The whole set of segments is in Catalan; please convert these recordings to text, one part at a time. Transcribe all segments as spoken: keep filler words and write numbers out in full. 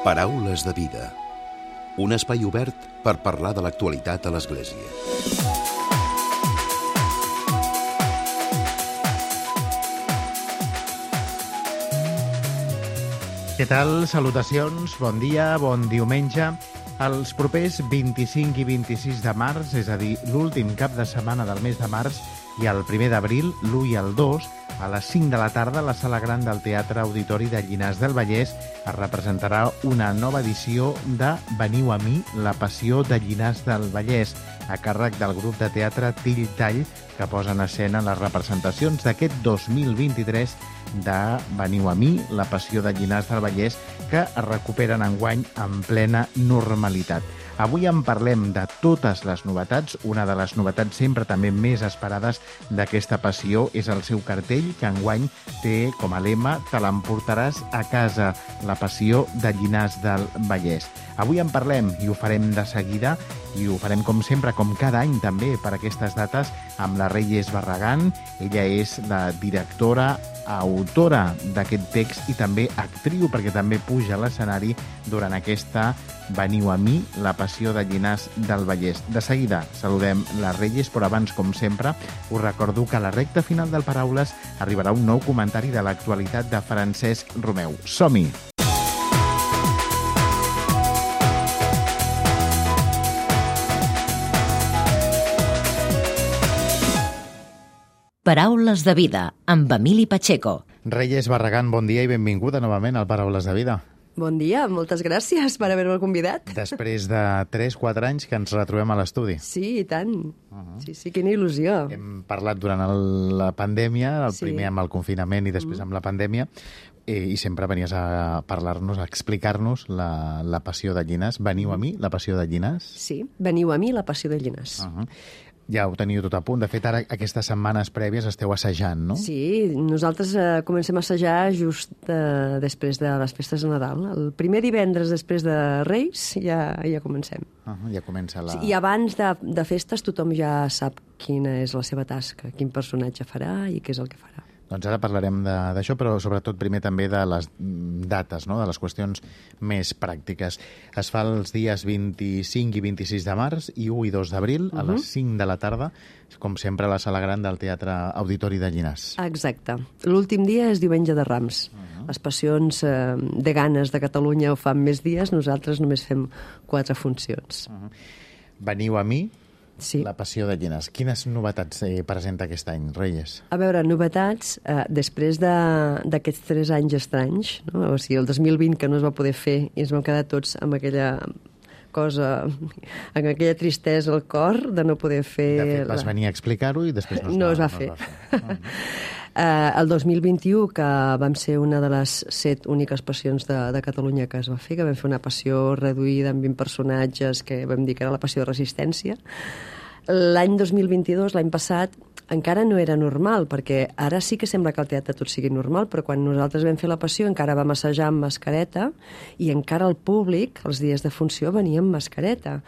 Paraules de vida. Un espai obert per parlar de l'actualitat a l'Església. Què tal? Salutacions, bon dia, bon diumenge. Els propers vint-i-cinc i vint-i-sis de març, és a dir, l'últim cap de setmana del mes de març, i el primer d'abril, l'u i el dos, a les cinc de la tarda, a la Sala Gran del Teatre Auditori de Llinars del Vallès es representarà una nova edició de Veniu a mi, la passió de Llinars del Vallès, a càrrec del grup de teatre Till Tall, que posa en escena les representacions d'aquest dos mil vint-i-tres de Veniu a mi, la passió de Llinars del Vallès, que es recuperen enguany en plena normalitat. Avui en parlem de totes les novetats. Una de les novetats sempre també més esperades d'aquesta passió és el seu cartell, que enguany té com a lema «Te l'emportaràs a casa, la passió de Llinars del Vallès». Avui en parlem i ho farem de seguida, i ho farem com sempre, com cada any també, per aquestes dates, amb la Reyes Barragán. Ella és la directora, autora d'aquest text i també actriu, perquè també puja a l'escenari durant aquesta Veniu a mi, la passió de Llinars del Vallès. De seguida saludem la Reyes, però abans, com sempre, us recordo que a la recta final del Paraules arribarà un nou comentari de l'actualitat de Francesc Romeu. Som-hi! Paraules de vida, amb Emili Pacheco. Reyes Barragán, bon dia i benvinguda novament al Paraules de vida. Bon dia, moltes gràcies per haver-me convidat. Després de tres quatre anys que ens retrobem a l'estudi. Sí, i tant. Uh-huh. Sí, sí, quina il·lusió. Hem parlat durant el, la pandèmia, el sí. primer amb el confinament i després uh-huh. amb la pandèmia, eh, i sempre venies a parlar-nos, a explicar-nos la, la passió de Llinars. Veniu a mi, la passió de Llinars? Sí, veniu a mi, la passió de Llinars. Uh-huh. Ja ho teniu tot a punt. De fet, ara aquestes setmanes prèvies esteu assajant, no? Sí, nosaltres eh, comencem a assajar just eh, després de les festes de Nadal. El primer divendres després de Reis ja, ja comencem. Uh-huh, ja comença la... Sí, i abans de, de festes tothom ja sap quina és la seva tasca, quin personatge farà i què és el que farà. Doncs ara parlarem d'això, però sobretot primer també de les dates, no? De les qüestions més pràctiques. Es fa els dies vint-i-cinc i vint-i-sis de març i u i dos d'abril, uh-huh. a les cinc de la tarda, com sempre a la Sala Gran del Teatre Auditori de Llinars. Exacte. L'últim dia és Diumenge de Rams. Uh-huh. Les passions eh, de ganes de Catalunya ho fan més dies, nosaltres només fem quatre funcions. Uh-huh. Veniu a mi, sí. La passió de Llinars. Quines novetats eh, presenta aquest any, Reyes? A veure, novetats, eh, després d'aquests de, tres anys estranys, no? O sigui, el dos mil vint que no es va poder fer i ens vam quedar tots amb aquella cosa, amb aquella tristesa al cor de no poder fer... De fet, vas la... venir a explicar-ho i després no es, no va, es va no fer. Es va fer. Uh-huh. Uh, el dos mil vint-i-u, que vam ser una de les set úniques passions de, de Catalunya que es va fer, que vam fer una passió reduïda amb vint personatges, que vam dir que era la passió de resistència. L'any dos mil vint-i-dos, l'any passat, encara no era normal, perquè ara sí que sembla que el teatre tot sigui normal, però quan nosaltres vam fer la passió encara vam assajar amb mascareta i encara el públic, els dies de funció, venia amb mascareta.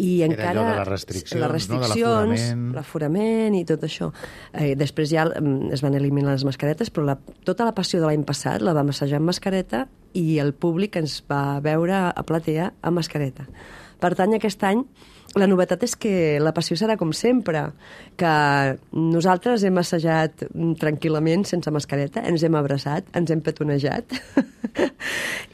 I era encara, allò de les restriccions, les restriccions, no? De l'aforament. l'aforament i tot això. Eh, després ja es van eliminar les mascaretes, però la, tota la passió de l'any passat la vam assajar amb mascareta i el públic ens va veure a platea amb mascareta. Per tant, aquest any la novetat és que la passió serà com sempre, que nosaltres hem assajat tranquil·lament, sense mascareta, ens hem abraçat, ens hem petonejat,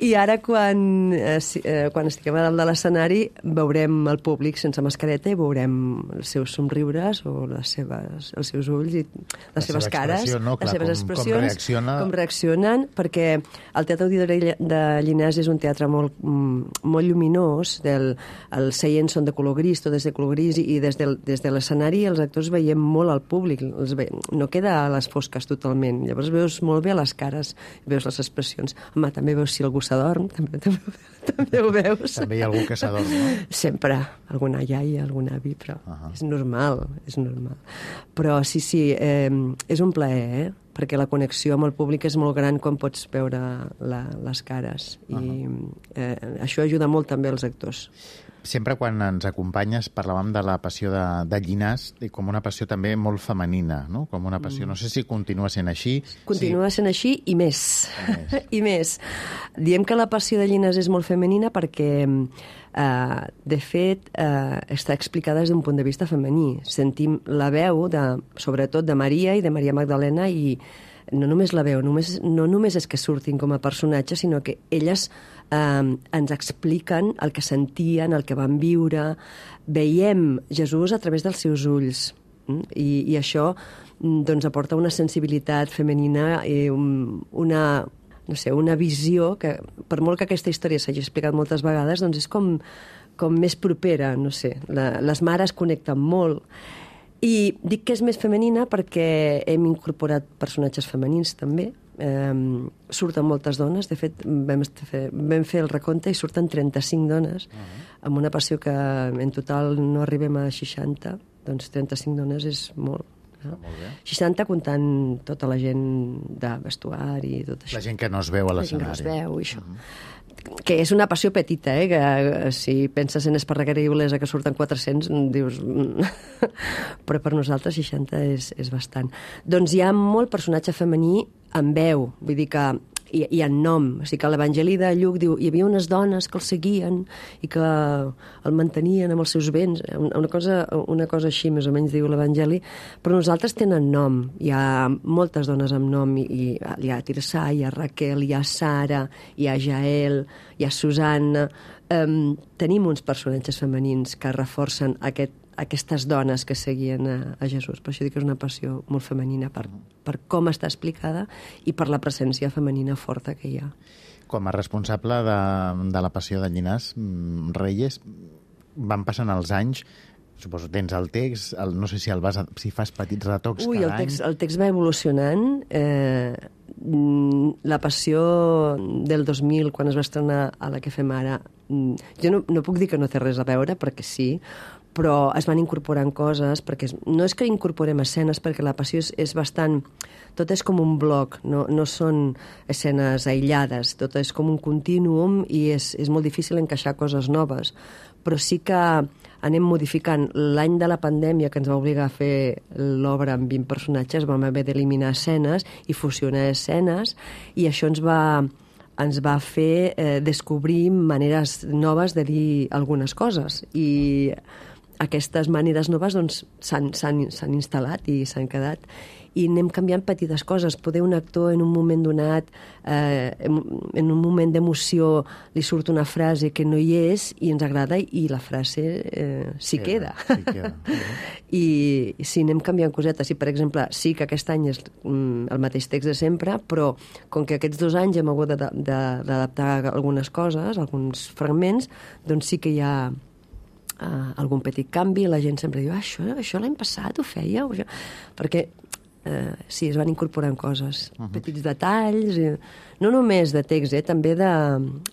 i ara quan, eh, quan estiguem a dalt de l'escenari veurem el públic sense mascareta i veurem els seus somriures o les seves, els seus ulls i les la seves cares, no? Clar, les seves com, expressions, com, reacciona... com reaccionen, perquè el Teatre Auditori de Llinars és un teatre molt, molt lluminós, del, els seients són de color gris, tot és de color gris, i des de, des de l'escenari els actors veiem molt al públic, els ve, no queda a les fosques totalment, llavors veus molt bé les cares, veus les expressions. Home, també veus si algú s'adorm, també, també, també ho veus. També hi ha algú que s'adorm, no? Sempre, alguna iaia, algun avi, però uh-huh. és normal, és normal. Però sí, sí, eh, és un plaer, eh? Perquè la connexió amb el públic és molt gran quan pots veure la, les cares, i uh-huh. eh, això ajuda molt també als actors. Sempre quan ens acompanyes parlàvem de la passió de, de Llinàs com una passió també molt femenina, no? Com una passió, no sé si continua sent així. Continua sí. sent així i més. I més. I més. Diem que la passió de Llinàs és molt femenina perquè, eh, de fet, eh, està explicada des d'un punt de vista femení. Sentim la veu, de, sobretot de Maria i de Maria Magdalena, i no només la veu, només, no només és que surtin com a personatges, sinó que elles eh, ens expliquen el que sentien, el que van viure. Veiem Jesús a través dels seus ulls. I, i això doncs, aporta una sensibilitat femenina i una, no sé, una visió que, per molt que aquesta història s'hagi explicat moltes vegades, doncs és com, com més propera, no sé. La, les mares connecten molt. I dic que és més femenina perquè hem incorporat personatges femenins també. Eh, surten moltes dones. De fet, vam fer, vam fer el recompte i surten trenta-cinc dones, uh-huh. amb una passió que en total no arribem a seixanta. Doncs trenta-cinc dones és molt. No? Molt bé. seixanta comptant tota la gent de vestuari i tot això. La gent que no es veu a l'escenari. La gent que no es veu i això. Uh-huh. Que és una passió petita, eh? Que si penses en Esparreguera i Olesa que surten quatre-cents, dius... Però per nosaltres seixanta és, és bastant. Doncs hi ha molt personatge femení en veu, vull dir que i, i en nom. O sigui que l'Evangeli de Lluc diu hi havia unes dones que el seguien i que el mantenien amb els seus béns. Una cosa, una cosa així, més o menys, diu l'Evangeli. Però nosaltres tenen nom. Hi ha moltes dones amb nom. I, i hi ha Tirsà, hi ha Raquel, hi ha Sara, hi ha Jael, hi ha Susanna. Um, tenim uns personatges femenins que reforcen aquest, aquestes dones que seguien a, a Jesús. Per això dic que és una passió molt femenina per, per com està explicada i per la presència femenina forta que hi ha. Com a responsable de, de la passió de Llinàs, Reyes, van passant els anys, suposo tens el text, el, no sé si el vas, si fas petits retocs Ui, cada el text, any. El text va evolucionant. Eh, la passió del dos mil, quan es va estrenar a la que fem ara, jo no, no puc dir que no té res a veure, perquè sí, però es van incorporant coses, perquè no és que incorporem escenes, perquè la passió és, és bastant... Tot és com un bloc, no, no són escenes aïllades, tot és com un contínuum i és, és molt difícil encaixar coses noves. Però sí que anem modificant. L'any de la pandèmia, que ens va obligar a fer l'obra amb vint personatges, vam haver d'eliminar escenes i fusionar escenes, i això ens va... ens va fer eh, descobrir maneres noves de dir algunes coses. I aquestes maneres noves doncs, s'han, s'han, s'han instal·lat i s'han quedat. I anem canviant petites coses. Poder un actor en un moment donat, eh, en un moment d'emoció, li surt una frase que no hi és i ens agrada i la frase eh, s'hi queda. Sí, queda. I sí, anem canviant cosetes. I, per exemple, sí que aquest any és mm, el mateix text de sempre, però com que aquests dos anys hem hagut d'adaptar algunes coses, alguns fragments, doncs sí que hi ha Uh, algun petit canvi, la gent sempre diu ah, això, això l'any passat ho fèieu? Això... Perquè uh, sí, es van incorporant coses, uh-huh. petits detalls, i... no només de text, eh, també de,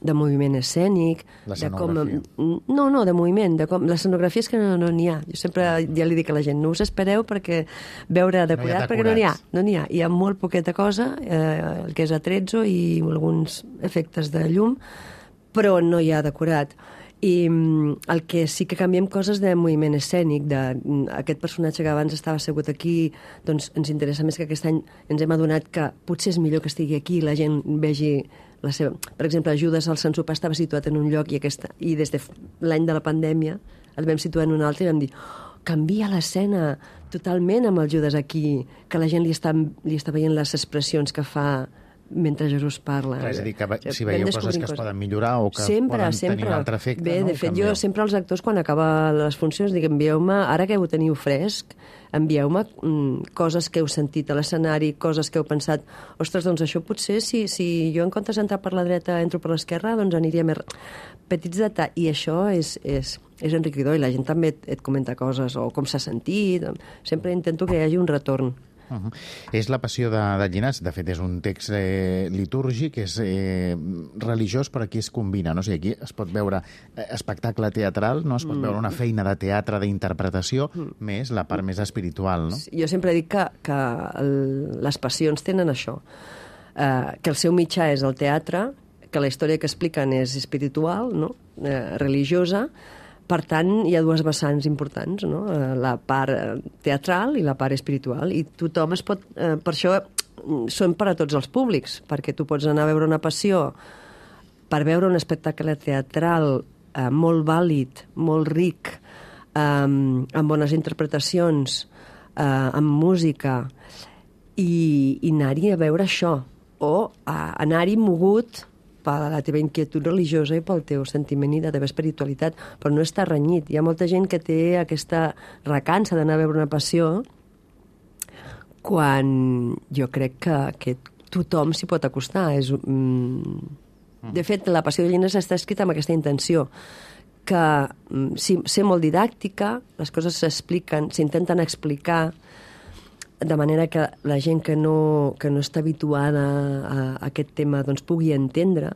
de moviment escènic. L'escenografia. De com... No, no, de moviment. De com... L'escenografia és que no n'hi no ha. Jo sempre ja li dic a la gent, no us espereu perquè veure decorat, no perquè no n'hi ha. No n'hi ha. Hi ha molt poqueta cosa, eh, el que és atrezzo i alguns efectes de llum, però no hi ha decorat. I el que sí que canviem coses de moviment escènic, d'aquest personatge que abans estava assegut aquí, doncs ens interessa més que aquest any ens hem adonat que potser és millor que estigui aquí i la gent vegi la seva... Per exemple, Judes al Sant Sopar estava situat en un lloc i, aquesta... i des de l'any de la pandèmia el vam situar en un altre i vam dir oh, canvia l'escena totalment amb el Judes aquí, que la gent li està, li està veient les expressions que fa mentre Jesús parla. Clar, és a dir, que si veieu coses que es poden millorar o que sempre, poden sempre. tenir un altre efecte, Bé, no? de fet, jo sempre als actors, quan acaba les funcions, dic, envieu-me, ara que ho teniu fresc, envieu-me mm, coses que heu sentit a l'escenari, coses que heu pensat, ostres, doncs això potser, si, si jo en comptes d'entrar per la dreta entro per l'esquerra, doncs aniria més... Petits detalls, i això és, és, és enriquidor, i la gent també et, et comenta coses, o com s'ha sentit, sempre intento que hi hagi un retorn. Uh-huh. És la passió de, de Llinàs. De fet, és un text eh, litúrgic, és eh, religiós, però aquí es combina. No? O sigui, aquí es pot veure eh, espectacle teatral, no? Es pot mm. veure una feina de teatre, d'interpretació, mm. més la part més espiritual. No? Jo sempre dic que, que el, les passions tenen això, eh, que el seu mitjà és el teatre, que la història que expliquen és espiritual, no? eh, religiosa, Per tant, hi ha dues vessants importants, no? La part teatral i la part espiritual, i tothom es pot... Eh, per això són per a tots els públics, perquè tu pots anar a veure una passió per veure un espectacle teatral eh, molt vàlid, molt ric, eh, amb bones interpretacions, eh, amb música, i, i anar-hi a veure això, o a anar-hi mogut per la teva inquietud religiosa i pel teu sentiment i la teva espiritualitat, però no està renyit. Hi ha molta gent que té aquesta recança d'anar a veure una passió, quan jo crec que, que tothom s'hi pot acostar. És, mm, de fet, la Passió de Llinars està escrita amb aquesta intenció, que mm, sí, ser molt didàctica, les coses s'expliquen, s'intenten explicar, de manera que la gent que no, que no està habituada a, a aquest tema doncs, pugui entendre.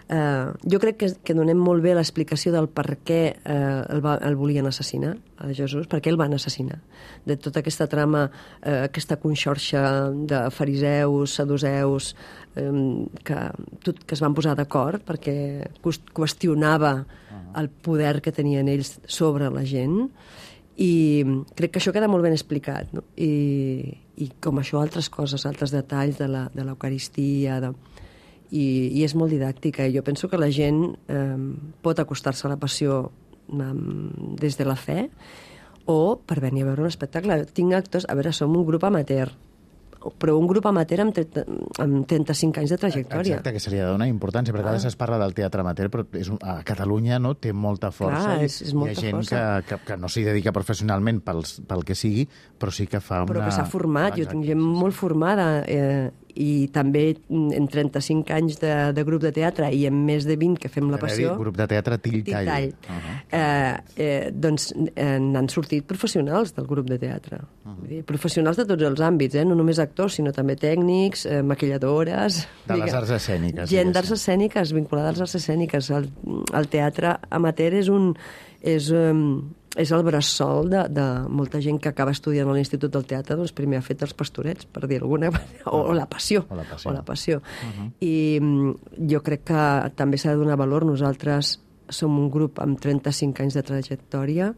Uh, jo crec que, que donem molt bé l'explicació del per què uh, el, va, el volien assassinar, a Jesús, per què el van assassinar. De tota aquesta trama, uh, aquesta conxorxa de fariseus, saduceus, um, que, tot, que es van posar d'acord perquè qüestionava el poder que tenien ells sobre la gent, i crec que això queda molt ben explicat, no? I, i com això altres coses, altres detalls de la, de l'Eucaristia, de... I, i és molt didàctica. Jo penso que la gent eh, pot acostar-se a la passió eh, des de la fe, o per venir a veure un espectacle. Tinc actors... A veure, som un grup amateur, però un grup amateur amb, trenta, amb trenta-cinc anys de trajectòria. Exacte, que seria d'una importància, perquè a vegades es parla del teatre amateur, però és un, a Catalunya no té molta força. Clar, és, és molta hi ha gent força. que, que, que no s'hi dedica professionalment pels, pel que sigui, però sí que fa una... Però que s'ha format, Exacte, jo tinc gent molt formada, eh, i també en trenta-cinc anys de, de grup de teatre i en més de vint que fem la passió... Dir, grup de teatre Tilltall. Tilltall. Uh -huh. eh, eh, doncs eh, n'han sortit professionals del grup de teatre. Uh -huh. dir, professionals de tots els àmbits, eh? No només actors, sinó també tècnics, eh, maquilladores... De les arts escèniques. Gent d'arts escèniques, vinculada als arts escèniques. El, el teatre amateur és un... És, um, és el bressol de, de molta gent que acaba estudiant a l'Institut del Teatre, doncs primer ha fet els pastorets, per dir alguna manera, o, o la passió. O la passió. O la passió. Uh -huh. I jo crec que també s'ha de donar valor. Nosaltres som un grup amb trenta-cinc anys de trajectòria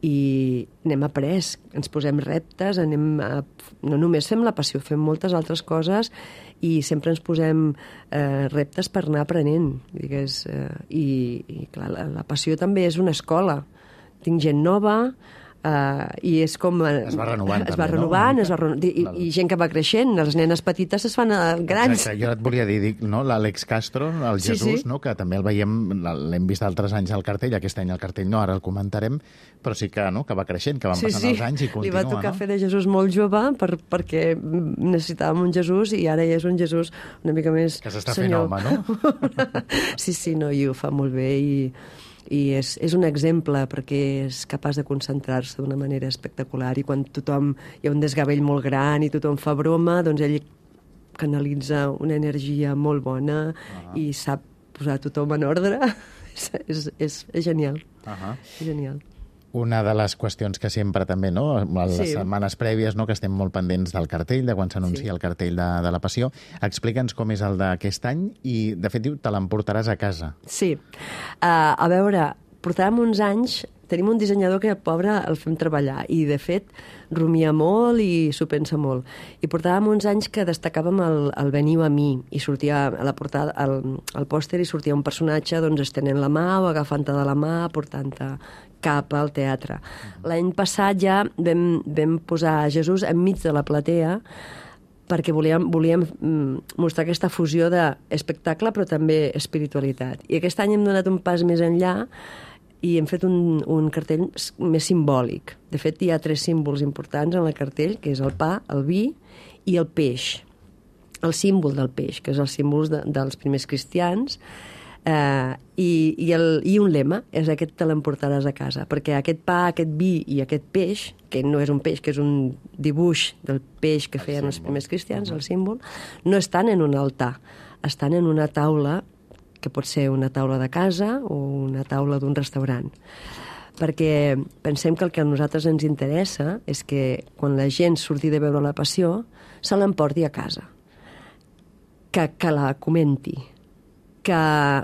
i n'hem après, ens posem reptes, anem a, no només fem la passió, fem moltes altres coses i sempre ens posem eh, reptes per anar aprenent. Digues, eh, i, i clar, la, la passió també és una escola. Tinc gent nova, uh, i és com... Es va renovant, es també, va renovant, no? es va renovant, i, i gent que va creixent, les nenes petites es fan grans. Exacte, jo et volia dir, dic, no? L'Àlex Castro, el Sí, Jesús, sí. no? Que també el veiem, l'hem vist altres anys al cartell, aquest any al cartell no, ara el comentarem, però sí que, no? Que va creixent, que van Sí, passant sí. els anys i continua, Li va tocar no? fer de Jesús molt jove per, perquè necessitàvem un Jesús i ara ja és un Jesús una mica més Que s'està fent senyor. home, no? Sí, sí, no, i ho fa molt bé i... i és, és un exemple perquè és capaç de concentrar-se d'una manera espectacular, i quan tothom hi ha un desgavell molt gran i tothom fa broma, doncs ell canalitza una energia molt bona uh-huh. i sap posar tothom en ordre. és, és, és, és genial. Uh-huh. És genial. Una de les qüestions que sempre també, no, a les Sí. setmanes prèvies, no, que estem molt pendents del cartell, de quan s'anuncia Sí. el cartell de, de la Passió, explica'ns com és el d'aquest any i, de fet, diu, te l'emportaràs a casa. Sí. Uh, a veure, portàvem uns anys, tenim un dissenyador que, pobre, el fem treballar i, de fet, rumia molt i s'ho pensa molt. I portàvem uns anys que destacàvem el, el Veniu a mi, i sortia a la portada, al, al pòster, i sortia un personatge doncs, estenent la mà o agafant-te de la mà, portant-te cap al teatre. Uh-huh. L'any passat ja vam, vam posar Jesús enmig de la platea perquè volíem, volíem mostrar aquesta fusió d'espectacle però també espiritualitat. I aquest any hem donat un pas més enllà i hem fet un, un cartell més simbòlic. De fet, hi ha tres símbols importants en el cartell, que és el pa, el vi i el peix. El símbol del peix, que és el símbol de, dels primers cristians, eh, i, i, el, i un lema, és aquest te l'emportaràs a casa, perquè aquest pa, aquest vi i aquest peix, que no és un peix, que és un dibuix del peix que feien els primers cristians, el símbol, no estan en un altar, estan en una taula que pot ser una taula de casa o una taula d'un restaurant. Perquè pensem que el que a nosaltres ens interessa és que quan la gent surti de veure la Passió se l'emporti a casa, que, que la comenti, que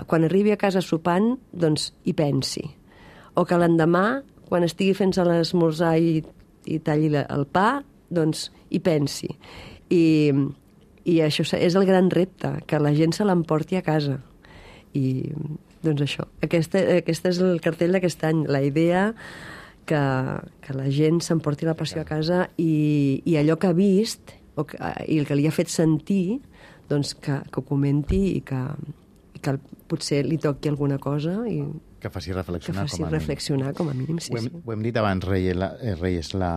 quan arribi a casa sopant doncs hi pensi, o que l'endemà, quan estigui fent-se l'esmorzar i, i talli la, el pa, doncs hi pensi. I, i això és el gran repte, que la gent se l'emporti a casa. I, doncs això, aquest, aquest és el cartell d'aquest any, la idea que, que la gent s'emporti la passió a casa i, i allò que ha vist o que, i el que li ha fet sentir, doncs que, que ho comenti i que, i que potser li toqui alguna cosa i que faci reflexionar, que faci com a reflexionar com a mínim. Sí, ho, hem, sí. ho hem dit abans, Reyes, la, eh, Reyes, la,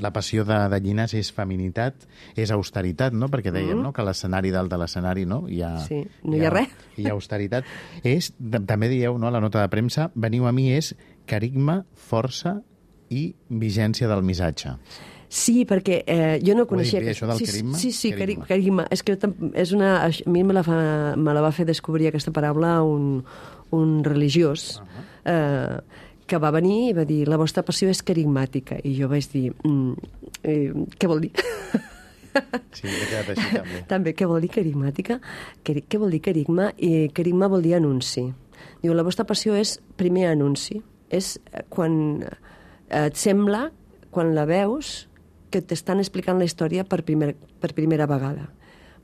la passió de, de Llinàs és feminitat, és austeritat, no? Perquè dèiem, mm. no?, que l'escenari dalt de l'escenari, no? Hi ha, sí, no hi ha, hi ha res. Hi ha austeritat. És, també dieu, no?, a la nota de premsa, veniu a mi és carigma, força i vigència del missatge. Sí, perquè eh, jo no coneixia... Ho he dit bé, això del sí, carigma? Sí, sí, Carigma. carigma. És que és una... A mi me la, fa, me la va fer descobrir aquesta paraula un, un religiós uh -huh. eh, que va venir i va dir la vostra passió és carigmàtica. I jo vaig dir, mm, eh, què vol dir? Sí, he quedat així també. També, què vol dir carigmàtica? Què, què vol dir carigma? I carigma vol dir anunci. Diu, la vostra passió és primer anunci. És quan et sembla, quan la veus, que t'estan explicant la història per, primer, per primera vegada.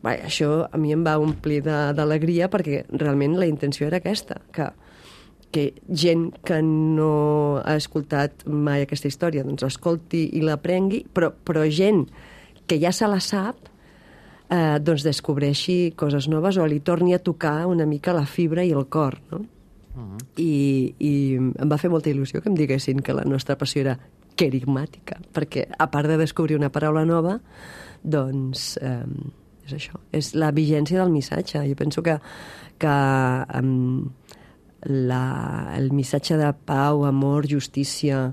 Bé, això a mi em va omplir d'alegria perquè realment la intenció era aquesta, que, que gent que no ha escoltat mai aquesta història doncs escolti i l'aprengui, però, però gent que ja se la sap eh, doncs descobreixi coses noves o li torni a tocar una mica la fibra i el cor, no? Uh-huh. I, i em va fer molta il·lusió que em diguessin que la nostra passió era carigmàtica, perquè a part de descobrir una paraula nova, doncs eh, és això, és la vigència del missatge. Jo penso que, que eh, la, el missatge de pau, amor, justícia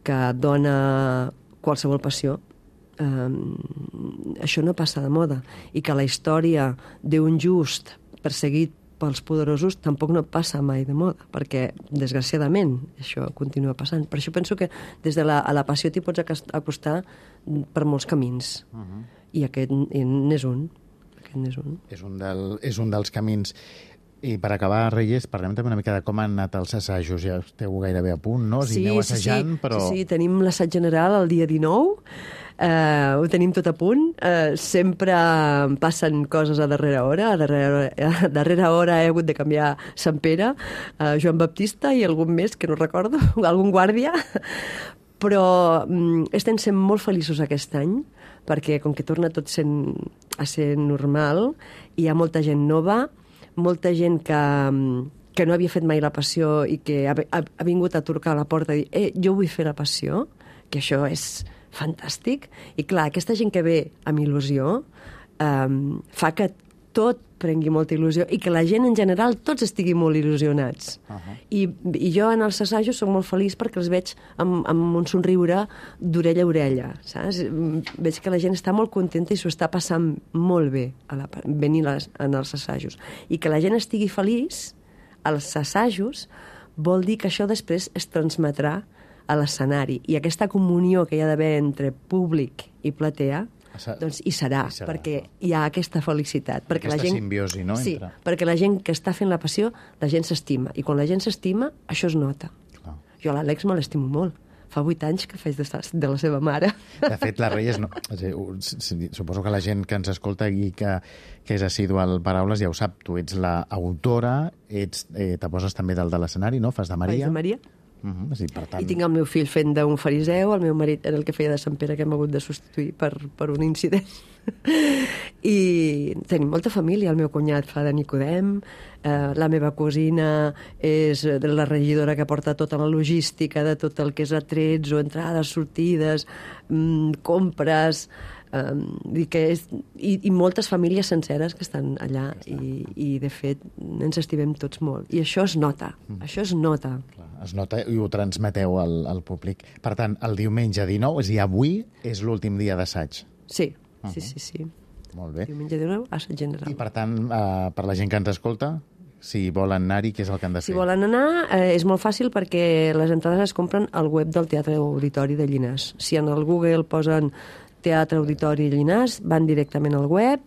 que dona qualsevol passió, eh, això no passa de moda, i que la història d'un just perseguit pels poderosos tampoc no passa mai de moda, perquè, desgraciadament, això continua passant. Per això penso que des de la, a la passió t'hi pots acostar per molts camins. Uh -huh. I aquest n'és un. Aquest n'és un. És un, del, és un dels camins. I per acabar, Reyes, parlem també una mica de com han anat els assajos. Ja esteu gairebé a punt, no? Si sí, aneu assajant, sí, sí. però... Sí, sí, tenim l'assaig general el dia dinou, Uh, ho tenim tot a punt. Uh, sempre passen coses a darrera hora. A darrera hora, a darrera hora he hagut de canviar Sant Pere, uh, Joan Baptista i algun més que no recordo, algun guàrdia. Però um, estem sent molt feliços aquest any, perquè com que torna tot sent, a ser normal, hi ha molta gent nova, molta gent que... Um, que no havia fet mai la passió i que ha, ha, ha vingut a trucar a la porta i dir eh, jo vull fer la passió, que això és fantàstic. I clar, aquesta gent que ve amb il·lusió um, fa que tot prengui molta il·lusió i que la gent en general tots estiguin molt il·lusionats. Uh -huh. I, I jo en els assajos soc molt feliç perquè els veig amb, amb un somriure d'orella a orella, saps? Veig que la gent està molt contenta i s'ho està passant molt bé a la, venir les, en els assajos. I que la gent estigui feliç als assajos vol dir que això després es transmetrà a l'escenari. I aquesta comunió que hi ha d'haver entre públic i platea, doncs hi serà, hi serà, perquè hi ha aquesta felicitat. Perquè aquesta la gent, simbiosi, no? Sí, entre... perquè la gent que està fent la passió, la gent s'estima. I quan la gent s'estima, això es nota. Clar. Jo a l'Àlex me l'estimo molt. Fa vuit anys que faig de, de la seva mare. De fet, la Reyes, no, suposo que la gent que ens escolta i que, que és assidua al Paraules ja ho sap. Tu ets l'autora, ets, eh, te poses també dalt de l'escenari, no? Fas de Maria. Faig de Maria. Uh -huh, sí, per tant... I tinc el meu fill fent d'un fariseu, el meu marit era el que feia de Sant Pere, que hem hagut de substituir per, per un incident. I tenim molta família. El meu cunyat fa de Nicodem, eh, la meva cosina és la regidora que porta tota la logística de tot el que és atrets o entrades, sortides, mm, compres... Um, i, que és, i, i moltes famílies senceres que estan allà i, i de fet ens estimem tots molt i això es nota, mm. això es nota. Clar, es nota i ho transmeteu al, al públic. Per tant, el diumenge dinou, és a dir, avui és l'últim dia d'assaig. Sí, uh -huh. sí, sí, sí. Molt bé. Diumenge dinou, assaig general. I per tant, uh, per la gent que ens escolta, si volen anar-hi, què és el que han de fer? Si volen anar, eh, és molt fàcil perquè les entrades es compren al web del Teatre Auditori de Llinàs. Si en el Google posen Teatre Auditori Llinàs, van directament al web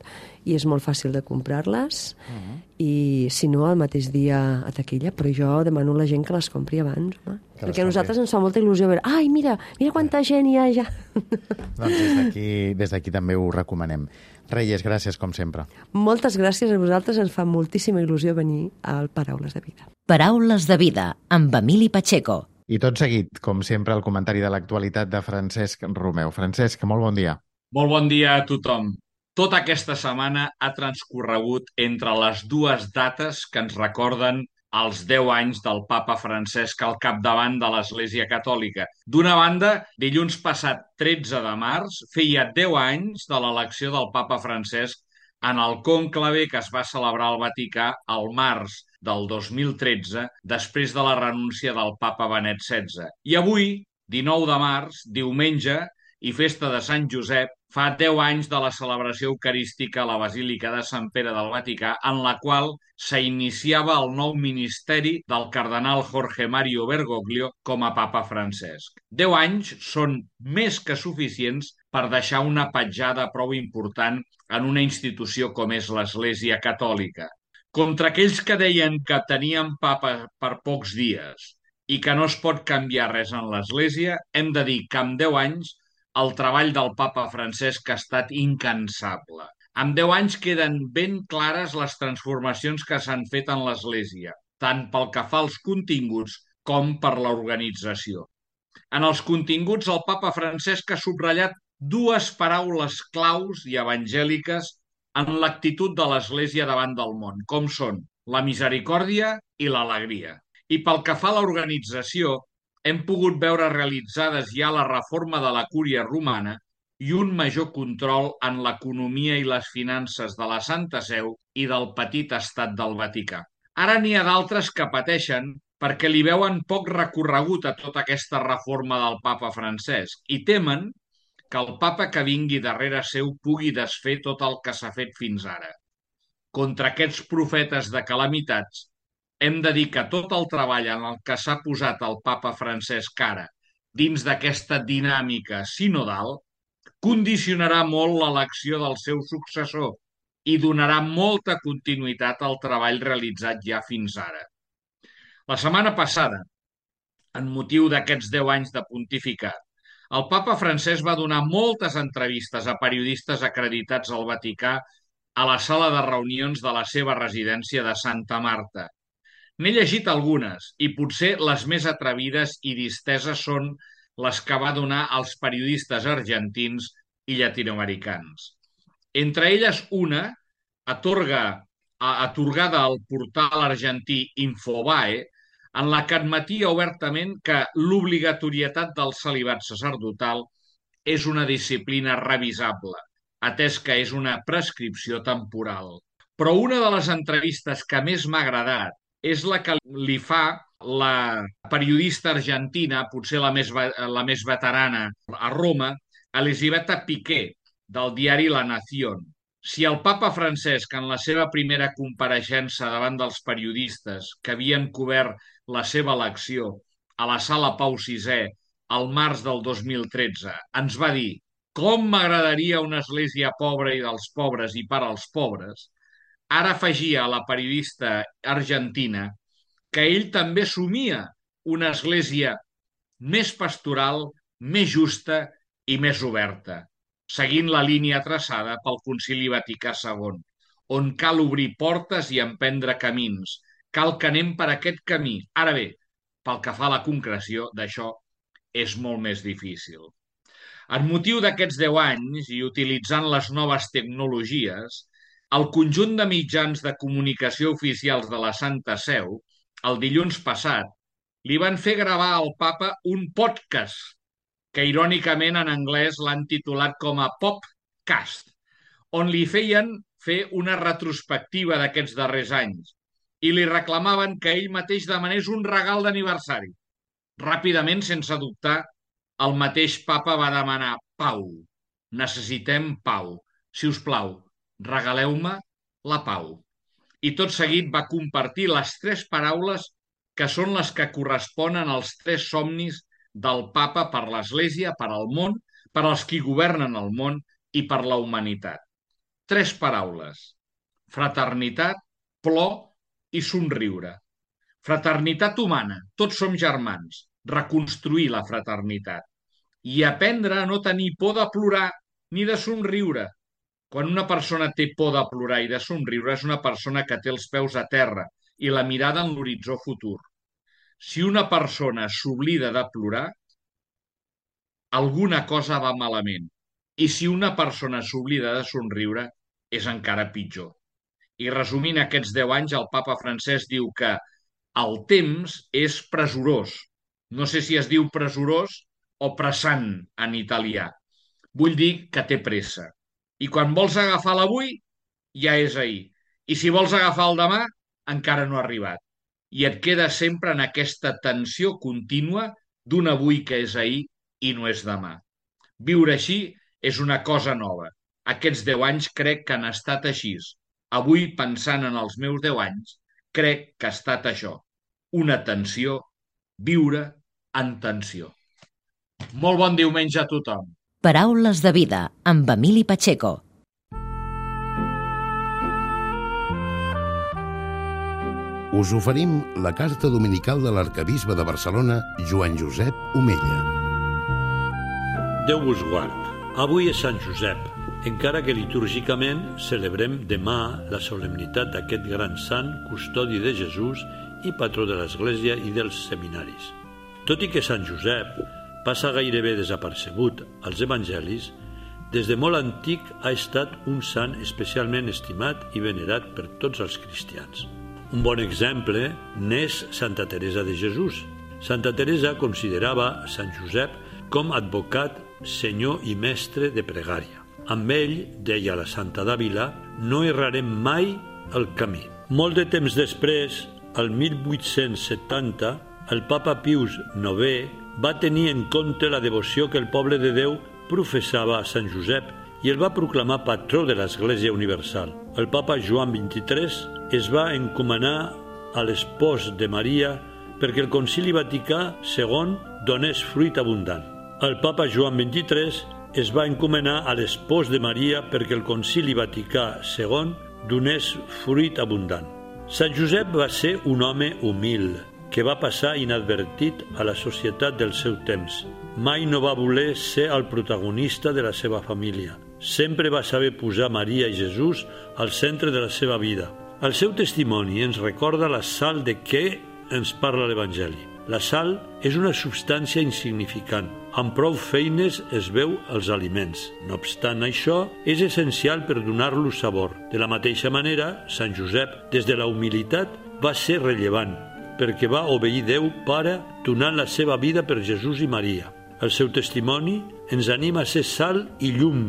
i és molt fàcil de comprar-les. Uh -huh. I si no, el mateix dia a taquilla, però jo demano a la gent que les compri abans, home. Perquè a nosaltres ens fa molta il·lusió veure, ai, mira, mira quanta gent hi ha ja. Doncs des d'aquí des d'aquí també ho recomanem. Reyes, gràcies, com sempre. Moltes gràcies a vosaltres, ens fa moltíssima il·lusió venir al Paraules de Vida. Paraules de Vida, amb Emili Pacheco. I tot seguit, com sempre, el comentari de l'actualitat de Francesc Romeu. Francesc, molt bon dia. Molt bon dia a tothom. Tota aquesta setmana ha transcorregut entre les dues dates que ens recorden els deu anys del papa Francesc al capdavant de l'Església Catòlica. D'una banda, dilluns passat tretze de març feia deu anys de l'elecció del papa Francesc en el cònclave que es va celebrar al Vaticà al març del dos mil tretze, després de la renúncia del papa Benet setze. I avui, dinou de març, diumenge, i festa de Sant Josep, fa deu anys de la celebració eucarística a la Basílica de Sant Pere del Vaticà, en la qual s'iniciava el nou ministeri del cardenal Jorge Mario Bergoglio com a papa Francesc. Deu anys són més que suficients per deixar una petjada prou important en una institució com és l'Església Catòlica. Contra aquells que deien que tenien papa per pocs dies i que no es pot canviar res en l'Església, hem de dir que amb deu anys el treball del papa Francesc ha estat incansable. En deu anys queden ben clares les transformacions que s'han fet en l'Església, tant pel que fa als continguts com per l'organització. En els continguts, el papa Francesc ha subratllat dues paraules claus i evangèliques en l'actitud de l'Església davant del món, com són la misericòrdia i l'alegria. I pel que fa a l'organització, hem pogut veure realitzades ja la reforma de la Cúria Romana i un major control en l'economia i les finances de la Santa Seu i del petit estat del Vaticà. Ara n'hi ha d'altres que pateixen perquè li veuen poc recorregut a tota aquesta reforma del papa Francesc i temen que el papa que vingui darrere seu pugui desfer tot el que s'ha fet fins ara. Contra aquests profetes de calamitats, hem de dir que tot el treball en el que s'ha posat el papa Francesc ara, dins d'aquesta dinàmica sinodal, condicionarà molt l'elecció del seu successor i donarà molta continuïtat al treball realitzat ja fins ara. La setmana passada, en motiu d'aquests deu anys de pontificat, el papa Francesc va donar moltes entrevistes a periodistes acreditats al Vaticà a la sala de reunions de la seva residència de Santa Marta. N'he llegit algunes i potser les més atrevides i disteses són les que va donar als periodistes argentins i llatinoamericans. Entre elles una, atorga, atorgada al portal argentí Infobae, en la que admetia obertament que l'obligatorietat del celibat sacerdotal és una disciplina revisable, atès que és una prescripció temporal. Però una de les entrevistes que més m'ha agradat és la que li fa la periodista argentina, potser la més, la més veterana a Roma, Elisabetta Piqué, del diari La Nación. Si el papa Francesc, en la seva primera compareixença davant dels periodistes que havien cobert la seva elecció a la sala Pau sisè al març del dos mil tretze, ens va dir «Com m'agradaria una església pobra i dels pobres i per als pobres», ara afegia a la periodista argentina que ell també somia una església més pastoral, més justa i més oberta, seguint la línia traçada pel Concili Vaticà segon, on cal obrir portes i emprendre camins. Cal que anem per aquest camí. Ara bé, pel que fa a la concreció d'això, és molt més difícil. En motiu d'aquests deu anys i utilitzant les noves tecnologies, el conjunt de mitjans de comunicació oficials de la Santa Seu, el dilluns passat, li van fer gravar al papa un podcast que irònicament en anglès l'han titulat com a Popcast, on li feien fer una retrospectiva d'aquests darrers anys i li reclamaven que ell mateix demanés un regal d'aniversari. Ràpidament, sense dubtar, el mateix papa va demanar pau. Necessitem pau. Si us plau, regaleu-me la pau. I tot seguit va compartir les tres paraules que són les que corresponen als tres somnis del papa per l'Església, per al món, per als qui governen el món i per la humanitat. Tres paraules: fraternitat, plor i somriure. Fraternitat humana, tots som germans. Reconstruir la fraternitat. I aprendre a no tenir por de plorar ni de somriure. Quan una persona té por de plorar i de somriure és una persona que té els peus a terra i la mirada en l'horitzó futur. Si una persona s'oblida de plorar, alguna cosa va malament. I si una persona s'oblida de somriure, és encara pitjor. I resumint aquests deu anys, el papa Francesc diu que el temps és presurós. No sé si es diu presurós o pressant en italià. Vull dir que té pressa. I quan vols agafar l'avui, ja és ahir. I si vols agafar el demà, encara no ha arribat. I et queda sempre en aquesta tensió contínua d'un avui que és ahir i no és demà. Viure així és una cosa nova. Aquests deu anys crec que han estat així. Avui, pensant en els meus deu anys, crec que ha estat això. Una tensió, viure en tensió. Molt bon diumenge a tothom. Paraules de vida, amb Emili Pacheco. Us oferim la carta dominical de l'arquebisbe de Barcelona, Joan Josep Omella. Déu vos guard. Avui és Sant Josep, encara que litúrgicament celebrem demà la solemnitat d'aquest gran sant, custodi de Jesús i patró de l'Església i dels seminaris. Tot i que Sant Josep passa gairebé desapercebut als evangelis, des de molt antic ha estat un sant especialment estimat i venerat per tots els cristians. Un bon exemple n'és Santa Teresa de Jesús. Santa Teresa considerava Sant Josep com advocat, senyor i mestre de pregària. Amb ell, deia la Santa d'Àvila, no errarem mai el camí. Molt de temps després, el mil vuit-cents setanta, el papa Pius novè va tenir en compte la devoció que el poble de Déu professava a Sant Josep i el va proclamar patró de l'Església Universal. El papa Joan vint-i-tres es va encomanar a l'espòs de Maria perquè el Concili Vaticà segon donés fruit abundant. El papa Joan vint-i-tres es va encomanar a l'espòs de Maria perquè el Concili Vaticà segon donés fruit abundant. Sant Josep va ser un home humil, que va passar inadvertit a la societat del seu temps. Mai no va voler ser el protagonista de la seva família. Sempre va saber posar Maria i Jesús al centre de la seva vida. El seu testimoni ens recorda la sal de què ens parla l'Evangeli. La sal és una substància insignificant. Amb prou feines es veu els aliments. No obstant això, és essencial per donar-los sabor. De la mateixa manera, Sant Josep, des de la humilitat, va ser rellevant, perquè va obeir Déu Pare donant la seva vida per Jesús i Maria. El seu testimoni ens anima a ser sal i llum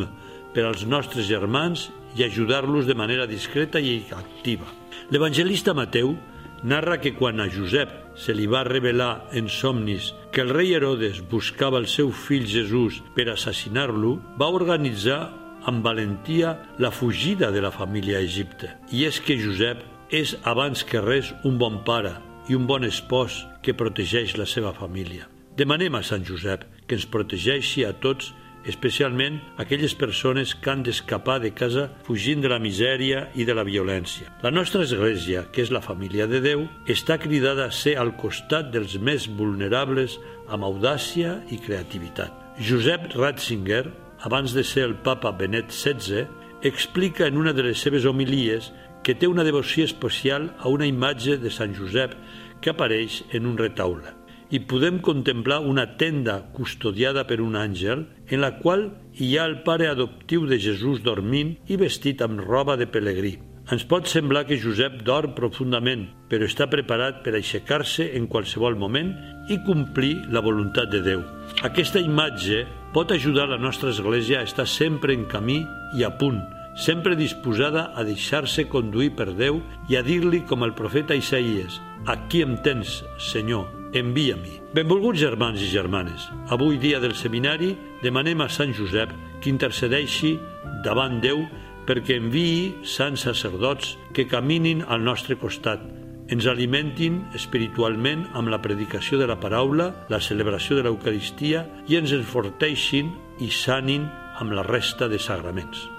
per als nostres germans i ajudar-los de manera discreta i activa. L'evangelista Mateu narra que quan a Josep se li va revelar en somnis que el rei Herodes buscava el seu fill Jesús per assassinar-lo, va organitzar amb valentia la fugida de la família a Egipte. I és que Josep és abans que res un bon pare i un bon espòs que protegeix la seva família. Demanem a Sant Josep que ens protegeixi a tots, especialment aquelles persones que han d'escapar de casa fugint de la misèria i de la violència. La nostra Església, que és la família de Déu, està cridada a ser al costat dels més vulnerables amb audàcia i creativitat. Josep Ratzinger, abans de ser el papa Benet setze, explica en una de les seves homilies que té una devoció especial a una imatge de Sant Josep que apareix en un retaule. I podem contemplar una tenda custodiada per un àngel en la qual hi ha el pare adoptiu de Jesús dormint i vestit amb roba de pelegrí. Ens pot semblar que Josep dorm profundament, però està preparat per aixecar-se en qualsevol moment i complir la voluntat de Déu. Aquesta imatge pot ajudar la nostra Església a estar sempre en camí i a punt, sempre disposada a deixar-se conduir per Déu i a dir-li com el profeta Isaïes: «Aquí em tens, Senyor, envia-m'hi». Benvolguts germans i germanes, avui dia del seminari demanem a Sant Josep que intercedeixi davant Déu perquè enviï sants sacerdots que caminin al nostre costat, ens alimentin espiritualment amb la predicació de la paraula, la celebració de l'Eucaristia i ens enforteixin i sanin amb la resta de sagraments.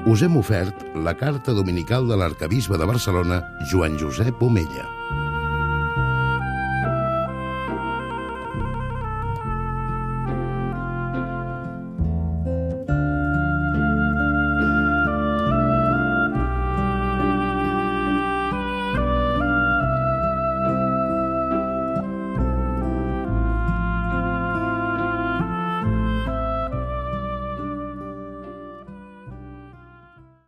us hem ofert la carta dominical de l'arcabisbe de Barcelona, Joan Josep Omella.